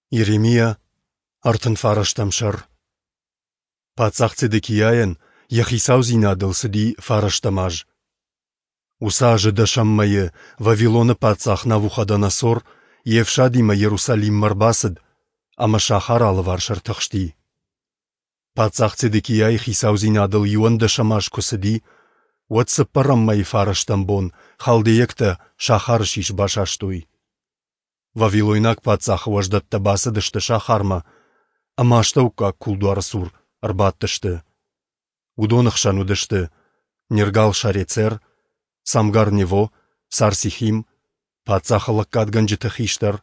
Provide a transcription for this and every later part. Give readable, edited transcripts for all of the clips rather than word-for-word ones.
Йеремиа, 39 сӕр. Паддзах Цедекиайӕн йӕ хицаудзинадыл цыди фарӕстӕм аз. Уыцы азы дӕсӕм мӕйы Вавилоны паддзах Навуходоносор йе фсадимӕ Йерусалиммӕ ӕрбацыд ӕмӕ сахары алыварс ӕртыхсти. Паддзах Цедекиайы хицаудзинадыл иуӕндӕсӕм аз куы цыди, уӕд цыппӕрӕм мӕйы фарӕстӕм бон халдейӕгтӕ сахары сис басастой. Вавилойнаг паддзахы уӕздӕттӕ бацыдысты сахармӕ ӕмӕ астӕуккаг кулдуары цур ӕрбадтысты. Уыдоны хсӕн уыдысты Нергал-Шарецер, Самгар-Нево, Сарсихим, паддзахы лӕггадгӕнджыты хистӕр,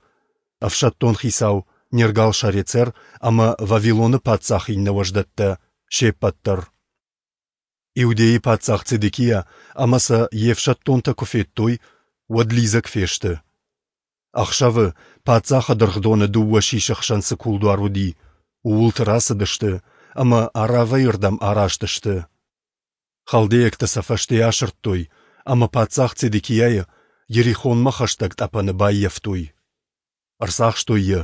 ӕфсӕддон хицау Нергал-Шарецер ӕмӕ Вавилоны паддзахы иннӕ уӕздӕттӕ се ппӕт дӕр. Иудейы паддзах Цедекиа ӕмӕ сӕ йе фсӕддонтӕ куы федтой, уӕд лидзӕг фесты. Ӕхсӕвы паддзахы дыргъдоны дыууӕ сисы хсӕн цы кулдуар уыди, ууылты рацыдысты ӕмӕ Аравӕйы рдӕм араст сты. Халдейӕгтӕ сӕ фӕсте асырдтой ӕмӕ паддзах Цедекиайы Йерихонмӕ хӕстӕг тъӕпӕны баййӕфтой. Ӕрцахстой йӕ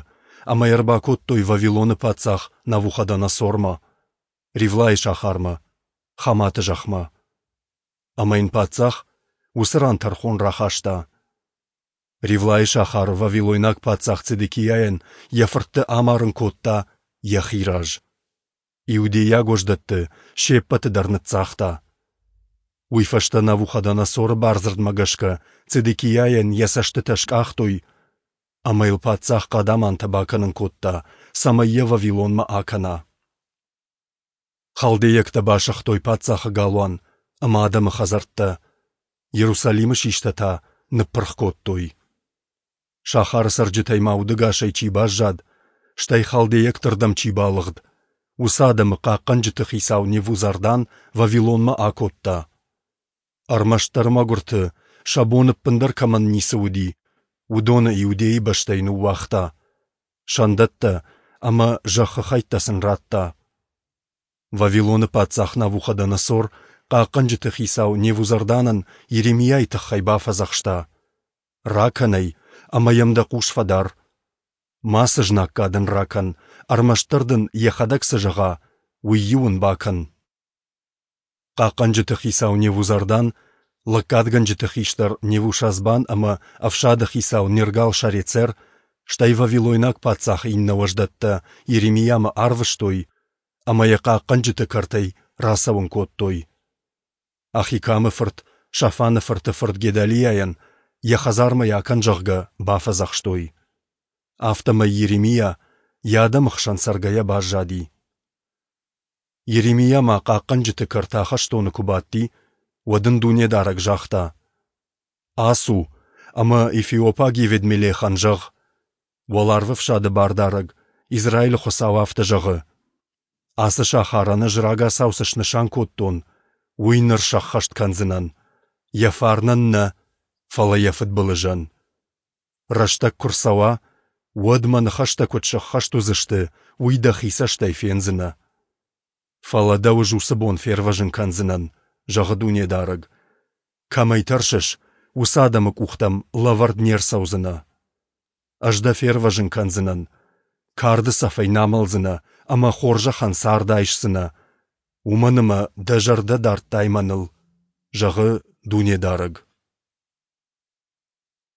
ӕмӕ йӕ ӕрбакодтой Вавилоны паддзах Навуходоносормӕ, Ривлайы сахармӕ, Хаматы зӕхмӕ. Ӕмӕ йын паддзах уыцы ран тӕрхон рахаста. Ривлайы сахары вавилойнаг паддзах Цедекиайӕн йӕ фыртты амарын кодта йӕхи раз. Иудейаг уӕздӕтты се ппӕты дӕр ныццагъта. Уый фӕстӕ Навуходоносоры бардзырдмӕ гӕсгӕ Цедекиайӕн йӕ цӕстытӕ скъахтой ӕмӕ йыл паддзах хъадамантӕ бакӕнын кодта, цӕмӕй йӕ Вавилонмӕ акӕна. Халдейӕгтӕ басыгътой паддзахы галуан ӕмӕ адӕмы хӕдзӕрттӕ, Иерусалимы систӕ та ныппырх кодтой. Сахары цӕрджытӕй ма удӕгасӕй чи баззад, стӕй халдейӕгты рдӕм чи балыгъд, уыцы адӕмы хъахъхъӕнджыты хицау Невузардан Вавилонмӕ акодта. Ӕрмӕстдӕр мӕгуырты, сӕ бон ӕппындӕр кӕмӕн ницы уыди, уыдоны Иудейы бӕстӕй ныууагъта, сӕндӕттӕ ӕмӕ зӕххы хӕйттӕ сын радта. Вавилоны паддзах Навуходоносор хъахъхъӕнджыты хицау Невузарданӕн Йеремиайы тыххӕй бафӕдзӕхста: «Ракӕн ӕй ӕмӕ йӕм дӕ хъус фӕдар. Мацы знаггад ын ракӕн, ӕрмӕстдӕр дын йӕхӕдӕг цы зӕгъа, уый-иу ын бакӕн». Хъахъхъӕнджыты хицау Невузардан, лӕггадгӕнджыты хистӕр Невушазбан ӕмӕ ӕфсады хицау Нергал-Шарецер, стӕй вавилойнаг паддзахы иннӕ уӕздӕттӕ Йеремиамӕ арвыстой ӕмӕ йӕ хъахъхъӕнджыты кӕртӕй рацӕуын кодтой. Ахикамы фырт Шафаны фырты фырт Гедалиайӕн йӕ хӕдзармӕ йӕ акӕн, зӕгъгӕ, бафӕдзӕхстой. Афтӕмӕй Йеремиа йӕ адӕмы хсӕн цӕргӕйӕ баззади. Йеремиа ма хъахъхъӕнджыты кӕрты ахӕстоны куы бадти, уӕд ын Дунедарӕг загъта: «Ацу ӕмӕ эфиопаг Еведмелехӕн зӕгъ: Уӕларвӕфсады Бардарӕг, Израилы Хуыцау афтӕ зӕгъы: Ацы сахарӕн ӕз рагацау цы снысан кодтон, уый ныр сӕххӕст кӕндзынӕн, йӕ фарнӕн нӕ, фӕлӕ йӕ фыдбылызӕн. Рӕстӕг куы рцӕуа, уӕд мӕ ныхӕстӕ куыд сӕххӕст уыдзысты, уый дӕхи цӕстӕй фендзынӕ. Фӕлӕ дӕу ӕз уыцы бон фервӕзын кӕндзынӕн, зӕгъы Дунедарӕг. Кӕмӕй тӕрсыс, уыцы адӕмы къухтӕм лӕвӕрд не рцӕудзынӕ. Ӕз дӕ фервӕзын кӕндзынӕн, карды цӕфӕй нӕ амӕлдзынӕ ӕмӕ хорзӕхӕн цард айсдзынӕ, уымӕн ӕмӕ дӕ зӕрдӕ дардтай мӕныл, зӕгъы Дунедарӕг.